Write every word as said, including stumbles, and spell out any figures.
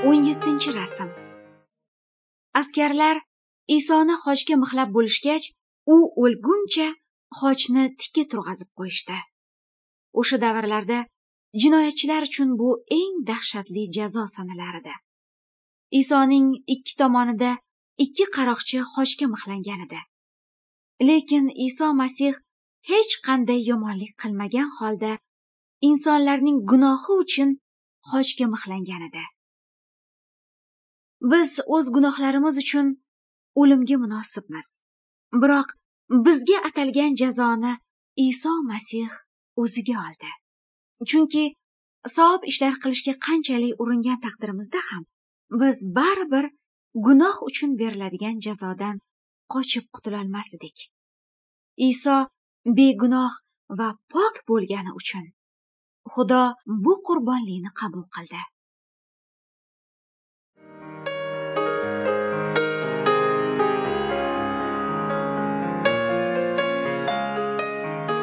O'n yettinchi rasm. Askarlar Isoni xochga mixlab bo'lishgach, u o'lguncha xochni tikka turg'azib qo'yishdi. O'sha davrlarda jinoyatchilar uchun bu eng dahshatli jazo sanalar edi. Isoning ikki tomonida ikki qaroqchi xochga mixlangan edi. Lekin Iso Masih hech qanday yomonlik qilmagan holda insonlarning gunohi uchun xochga mixlangan edi. Biz o'z gunohlarimiz uchun o'limga munosibmiz. Biroq bizga atalgan jazoni Iso Masih o'ziga oldi. Chunki savob ishlar qilishga qanchalik uringan taqdirimizda ham biz baribir gunoh uchun beriladigan jazodan qochib qutulolmas edik. Iso begunoh va pok bo'lgani uchun Xudo bu qurbonlikni qabul qildi.